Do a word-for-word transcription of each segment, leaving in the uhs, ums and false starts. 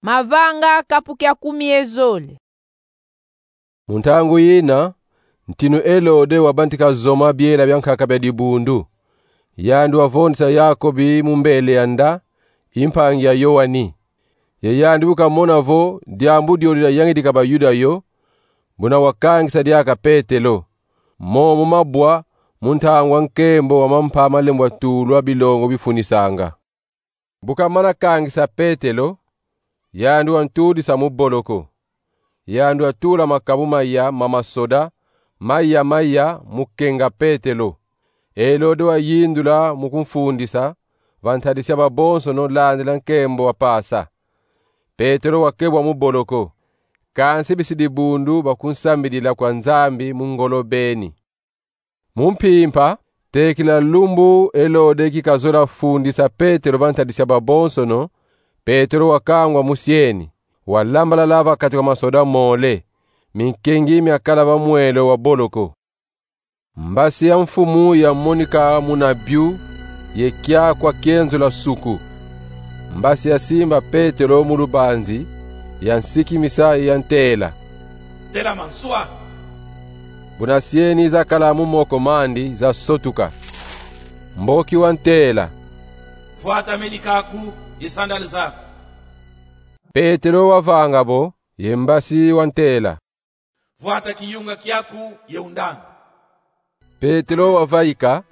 Mavanga kapu kia kumi ye zole. Mu ntangu yina, ntinu Elode wabantika zoma biela bia nkaka bia dibundu. Yandi wavondisa Yakobi mu mbele ya nda, i mpangi ya Yoani. Ye yandi bu kamona vo diambu diodi diayangidika Bayuda yo, buna wakangisa diaka Petelo. Momo mabwa mu ntangu a nkembo wa mampa malembwa tulwa bilongo bifunisanga. Bu kamana kangisa Petelo, yandi wantudisa mu boloko. Yandi watula makabu maya ma masoda, maya maya mu kenga Petelo. Elode wayindula mu kumfundisa va ntadisi ya babonsono landila nkembo wa Pasa. Petelo wakebwa mu boloko, kansi bisi dibundu bakunsambidila kwa Nzambi mu ngolo beni. Mu mpimpa, tekila lumbu Elode ki kazola fundisa Petelo va ntadisi ya babonsono, Petelo wakangwa musieni, walambalala va kati kwa masoda mole, minkengi miakala va mwelo wa boloko. Mbasi ya mfumu yamonika muna biu, ye kiakwa kienzula suku. Mbasi yasimba Petelo mu lubanzi, yansikimisa ye yantela: Telama nswa! Buna sieni zakala mu moko mandi zasotuka. Mboki wantela: Vwata melika aku ye sandale zaku. Petelo wavanga bo, ye mbasi wantela: Vwata kiyunga kiaku ye undanga. Petelo wavaika,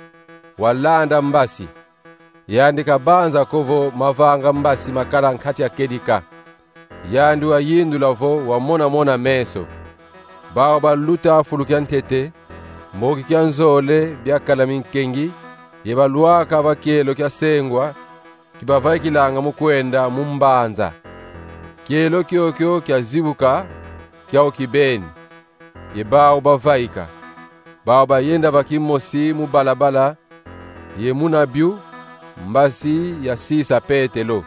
walanda mbasi. Yandi kabanza ko vo mavanga mbasi makala nkati a kedika. Yandi wayindula vo wamona-mona meso. Bau baluta fulu kia ntete, mboki kia nzole biakala minkengi, ye balwaka va kielo kia sengwa, ki bavaikilanga mu kwenda mu mbanza. Kielo kiokio kiazibuka, kiau kibeni, ye bau bavaika. Bau bayenda va kimosi mu balabala, ye muna biu, mbasi yasisa Petelo.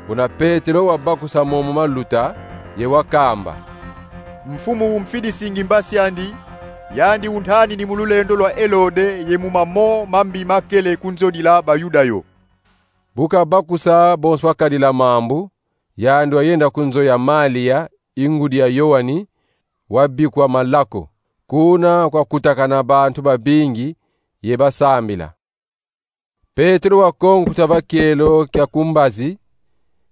Buna Petelo wabakusa momo maluta, ye wakamba: Mfumu umfidisingi mbasi andi, yandi untanini mu lulendo lwa Elode ye mu mamo mambi makele kunzodila Bayuda yo. Bu kabakusa bonso wakadila mambu, yandi wayenda ku nzo ya Malia, i ngudi ya Yoani, wabikwa Malako. Kuna kwakutakana bantu babingi ye basambila. Petelo wakonkuta va kielo kia ku mbazi,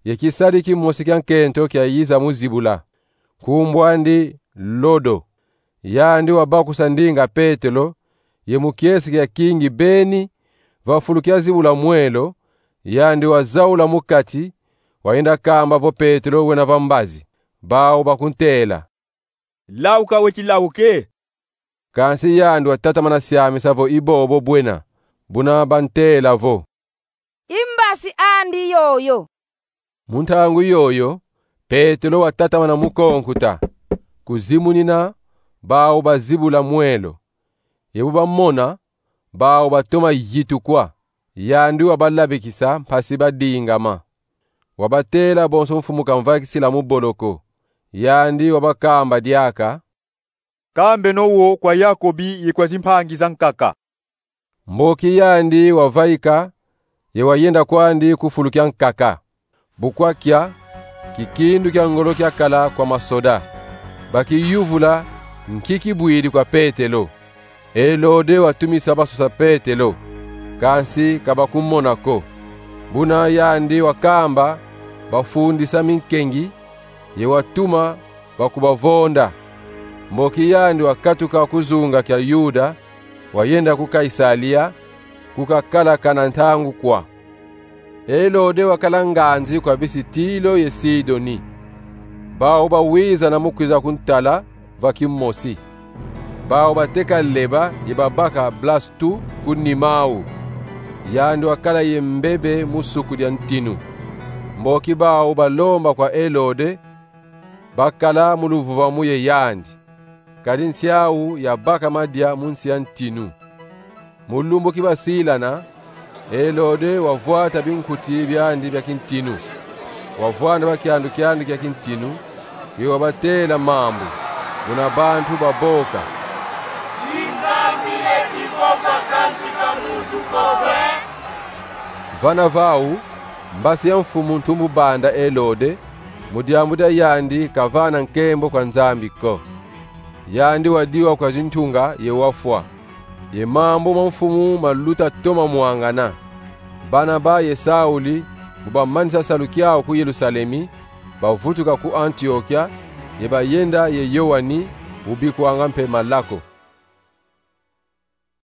ye kisadi kimosi kia nkento kiayiza mu zibula. Nkumbu andi Lodo. Yandi wabakusa ndinga Petelo, ye mu kiese kia kingi beni, va fulu kia zibula mwelo, yandi wazaula mu kati, wayenda kamba vo Petelo wena va mbazi. Bau bakuntela: Lauka weti lauke. Kansi yandi watatamana siamisa vo i bobo bwena, buna bantela vo: I mbasi andi yoyo. Mu ntangu yoyo, Petelo watatamana mu konkuta. Kuzimunina, bau bazibula mwelo. Ye bu bamona, bau batoma yitukwa. Yandi wabalabikisa mpasi badingama. Wabatela bonso mfumu kamvaikisila mu boloko. Yandi wabakamba diaka: Kambeno wo kwa Yakobi ye kwa zimpangi za nkaka. Mboki yandi wavaika, ye wayenda kwandi ku fulu kia nkaka. Bu kwakia, kikindu kia ngolo kiakala kwa masoda. Bakiyuvula nki kibwidi kwa Petelo. Elode watumisa basosa Petelo, kansi ka bakumona ko. Buna yandi wakamba bafundisa minkengi, ye watuma bakubavonda. Mboki yandi wakatuka ku zunga kia Yuda, wayenda ku Kaisalia, ku kakala kana ntangu kwa. Elode wakala nganzi kwa bisi Tilo ye Sidoni. Bau bawizana mu kwiza kuntala va kimosi. Bau bateka leba ye babaka Blastu ku nima au. Yandi wakala ye mbebe mu suku dia ntinu. Mboki bau balomba kwa Elode, bakala mu luvuvamu ye yandi. Kadi nsi au yabaka madia mu nsi ya ntinu. Mu lumbu ki basilana, Elode wavwata binkuti biandi bia kintinu. Wavwanda va kiandu kiandi kia kintinu, ye wabatela mambu, buna bantu baboka: I Nzambi eti vo vakantika muntu kove? Vana vau, mbasi ya mfumu ntumbu banda Elode, mu diambu dia yandi kavana nkembo kwa Nzambi ko. Yandi wadiwa kwa zintunga ye wafwa, ye mambu ma mfumu maluta toma mwangana. Barnaba ye Sauli, bu bamanisa salu kiau ku Yerusalemi, bavutuka ku Antiokia, ye bayenda ye Yoani, ubikwanga mpe Malako.